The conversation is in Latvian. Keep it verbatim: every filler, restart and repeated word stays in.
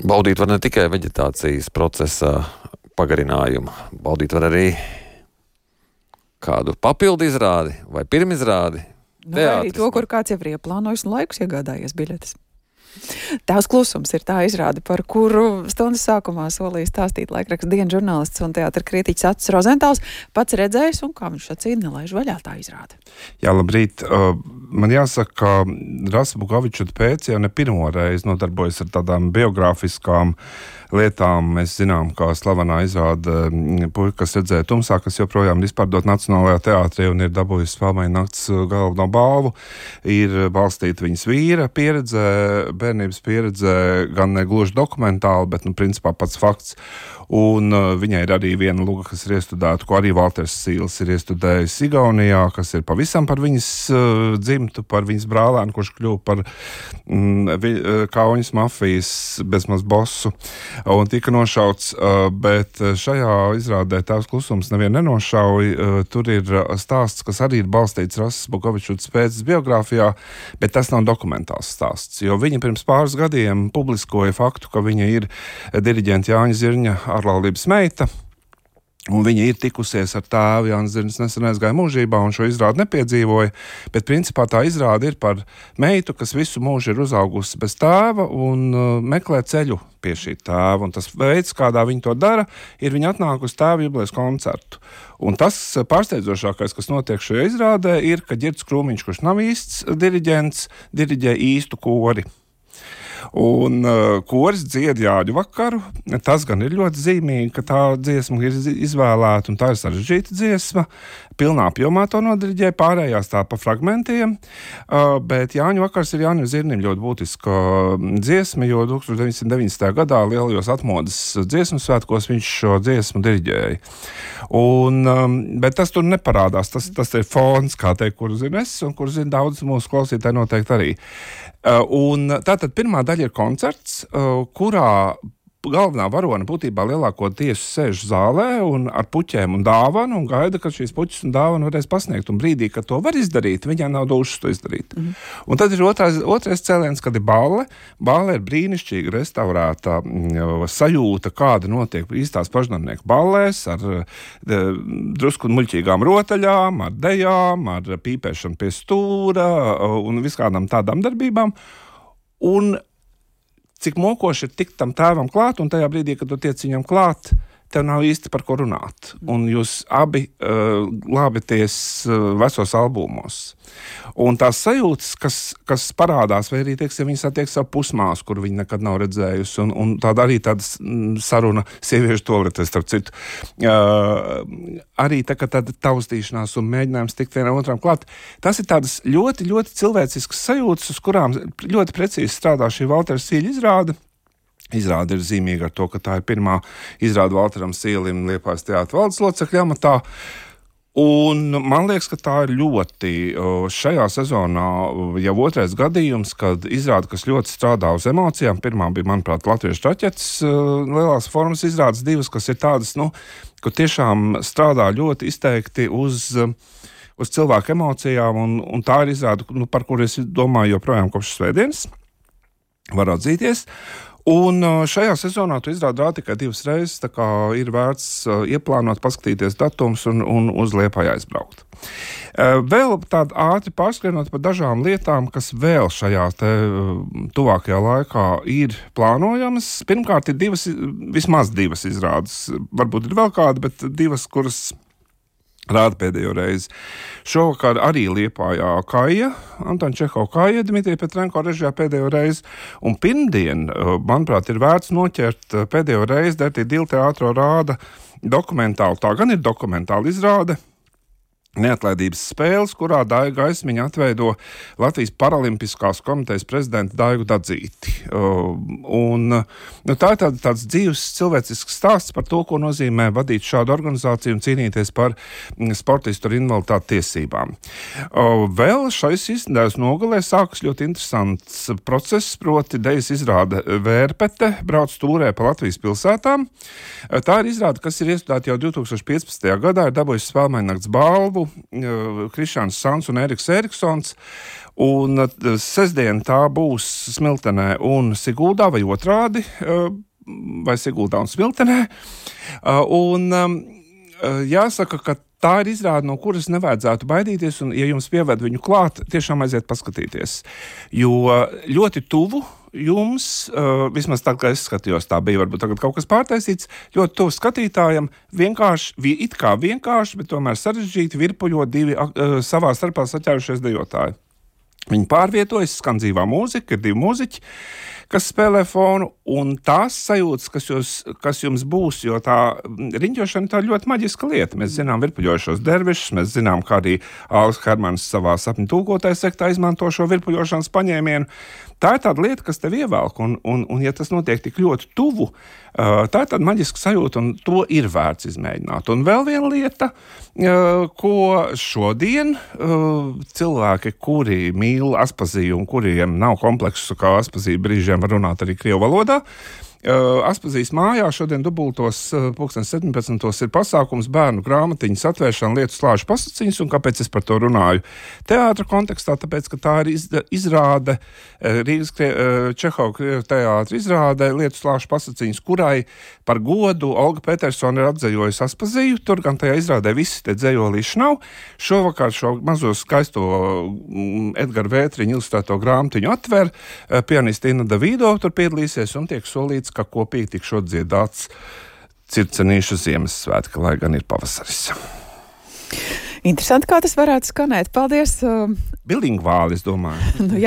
Baudīt var ne tikai veģetācijas procesa pagarinājumu, baudīt var arī kādu papildu izrādi vai pirmizrādi. Nu, vai arī to, kur kāds jau ir ieplānojis un laikus iegādājies biļetes. Tās klusums ir tā izrāde, par kuru stundas sākumā solīja stāstīt laikraksta Dienas žurnālists un teātra kritiķis Acis Rozentāls. Pats redzējis un, kā viņš sacīja, nelaiž vaļā tā izrāde. Jā, labrīt. Man jāsaka, ka Rasa Bukovičuta pēc jau ne pirmo reizi nodarbojas ar tādām biogrāfiskām lietām. Mēs zinām, kā slavenā izrāde Puika, kas redzēja tumsā, kas joprojām ir izpārdot Nacionālajā teātrī un ir dabūjusi Spēlmeņa nakts galveno balvu, ir balstīta viņas vīra pieredzē, bērnības pieredzē, gan ne gluži dokumentāli, bet, nu, principā pats fakts. Un uh, viņai ir arī viena luga, kas ir iestudēta, ko arī Valters Sīls ir iestudējis Igaunijā, kas ir pavisam par viņas uh, dzimtu, par viņas brālēnu, kurš kļuva par mm, vi, uh, kauņas mafijas bezmaz bosu un tika nošauts, uh, bet šajā izrādē Tēvs klusums nevienu nenošauj. Uh, tur ir stāsts, kas arī ir balstīts Rasas Bukovičutas pēcas biogrāfijā, bet tas nav dokumentāls stāsts, jo viņa pirms pāris gadiem publiskoja faktu, ka viņa ir diriģenta Jāņa Zirņa ārlaulības meita, un viņa ir tikusies ar tēvu. Jānis Zirņs nesen aizgāja mūžībā un šo izrādi nepiedzīvoja, bet principā tā izrāde ir par meitu, kas visu mūžu ir uzaugusi bez tēva un uh, meklē ceļu pie šī tēva, un tas veids, kādā viņa to dara, ir viņa atnāk uz tēva jubilejas koncertu. Un tas pārsteidzošākais, kas notiek šajā izrādē, ir, ka Ģirds Krūmiņš, kurš nav īsts diriģents, diriģē īstu kori. Un uh, koris dzied Jāņu vakaru. Tas gan ir ļoti zīmīgi, ka tā dziesma ir izvēlēta, un tā ir sarežģīta dziesma. Pilnā apjomā to nodiriģē, pārējās tā pa fragmentiem, uh, bet Jāņu vakars ir Jānim Zirnim ļoti būtiska dziesma, jo tūkstoš deviņsimt deviņdesmitajā gadā lielajos atmodas dziesmu svētkos viņš šo dziesmu diriģēja. Un, um, bet tas tur neparādās, tas, tas ir fons, kā teikt, kuru zinu es, un kuru zinu daudz mūsu klausītāji noteikti arī. Uh, un tātad pirmā daļa ir koncerts, uh, kurā galvenā varone būtībā lielāko tiesu sēž zālē un ar puķēm un dāvanu un gaida, ka šīs puķis un dāvanu varēs pasniegt. Un brīdī, kad to var izdarīt, viņai nav dušas to izdarīt. Mm. Un tad ir otrais, otrais cēliens, kad ir balle. Balle ir brīnišķīga restaurēta m, sajūta, kāda notiek īstās pašnamnieku ballēs, ar de, drusku muļķīgām rotaļām, ar dejām, ar pīpēšanu pie stūra un viskādām tādām darbībām. Un cik mokoši ir tikt tam tēvam klāt, un tajā brīdī, kad tu tiec viņam klāt, tev nav īsti par ko runāt. Un jūs abi uh, glābieties uh, vecos albumos. Un tās sajūtas, kas, kas parādās, vai arī, teiksim, viņi satiek savu pusmāsu, kur viņi nekad nav redzējusi, un, un tāda arī tāda saruna sieviešu toaletē, starp citu. Uh, arī tā, ka tāda taustīšanās un mēģinājums tikt vienam otram klāt. Tas ir tādas ļoti, ļoti cilvēciskas sajūtas, uz kurām ļoti precīzi strādā šī Valtera Sīļa izrāde. Izrāde ir zīmīga ar to, ka tā ir pirmā izrāde Valteram Sīlim Liepājas teātra valdes locekļa amatā. Un man liekas, ka tā ir ļoti šajā sezonā jau otrais gadījums, kad izrāde, kas ļoti strādā uz emocijām. Pirmā bija, manuprāt, Latviešu traķetes lielās formas izrādes, divas, kas ir tādas, nu, kur tiešām strādā ļoti izteikti uz, uz cilvēku emocijām, un, un tā ir izrāde, nu, par kuru es domāju joprojām kopš svētdienas. Var atzīties. Un šajā sezonā tu izrādi rādi tikai divas reizes, tā kā ir vērts ieplānot, paskatīties datums un, un uz Liepāju aizbraukt. Vēl tādi ātri pārskrienot par dažām lietām, kas vēl šajā te tuvākajā laikā ir plānojamas. Pirmkārt ir divas, vismaz divas izrādes, varbūt ir vēl kāda, bet divas, kuras rāda pēdējo reizi. Šovakar arī Liepājā Kaja, Antona Čehova Kaja, Dmitrija Petrenko režijā pēdējo reizi. Un pirmdien, manuprāt, ir vērts noķert pēdējo reizi, Dertī Dīla teātro rāda dokumentālu. Tā gan ir dokumentāla izrāde, Neatlaidības spēles, kurā Daiga Gaismiņa atveido Latvijas Paralimpiskās komitejas prezidenta Daigu Dadzīti. Uh, un, nu, tā ir tāda, tāds dzīves cilvēcisks stāsts par to, ko nozīmē vadīt šādu organizāciju un cīnīties par sportistu ar invaliditāti tiesībām. Uh, vēl šais izdevs nogalē sākas ļoti interesants process, proti dejas izrāde Vērpete, brauc tūrē pa Latvijas pilsētām. Uh, tā ir izrāde, kas ir iestudēta jau divtūkstoš piecpadsmitajā gadā, ir dabūjusi Spēlmeņa nakts balvu, darbu, Krišāns Sans un Eriks Eriksons. Un sestdien tā būs Smiltenē un Siguldā vai otrādi, vai Siguldā un Smiltenē. Un jāsaka, ka tā ir izrāde, no kuras nevajadzētu baidīties, un, ja jums pieved viņu klāt, tiešām aiziet paskatīties. Jo ļoti tuvu jums, vismaz tā, kā es skatījos, tā bija varbūt tagad kaut kas pārtaisīts, ļoti tuvu skatītājam, vienkārši, it kā vienkārši, bet tomēr sarežģīti virpuļo divi savā starpā saķērušies dejotāji. Viņi pārvietojas, skan dzīvā mūzika, ir divi mūziķi, kas spēlē fonu, un tās sajūtas, kas, jūs, kas jums būs, jo tā riņķošana tā ir ļoti maģiska lieta. Mēs zinām virpuļojušos dervišus, mēs zinām, kā arī Alvis Hermans savā sapņu tūkotāja sektā izmanto šo virpuļošanas paņēmienu. Tā ir tāda lieta, kas tev ievelk, un, un, un ja tas notiek tik ļoti tuvu, tā ir tāda maģiska sajūta, un to ir vērts izmēģināt. Un vēl viena lieta, ko šodien cilvēki, kuri mīl Aspaziju un kuriem nav kompleksu, kā Aspazija brīžiem var runāt arī krievu valodā, Aspazijas mājā šodien dubultos pulksten septiņpadsmitos ir pasākums bērnu grāmatiņas atvēršana lietu slāžu pasaciņas, un kāpēc es par to runāju teātra kontekstā, tāpēc, ka tā ir izrāde, Rīgas Čehova teātra izrāde lietu slāžu pasaciņas, kurai par godu Olga Petersona ir atzējojusi Aspaziju, tur gan tajā izrādē visi te dzējolīši nav. Šovakar šo mazo skaisto Edgara Vētriņa ilustrēto grāmatiņu atver, pianista Inna Davido tur piedalīsies un tiek solīts, ka kopīgi tikšot dziedāts Circenīšu Ziemassvētki, lai gan ir pavasaris. Interesanti, kā tas varētu skanēt. Paldies! Bilingvāli, es domāju. Nu, jā.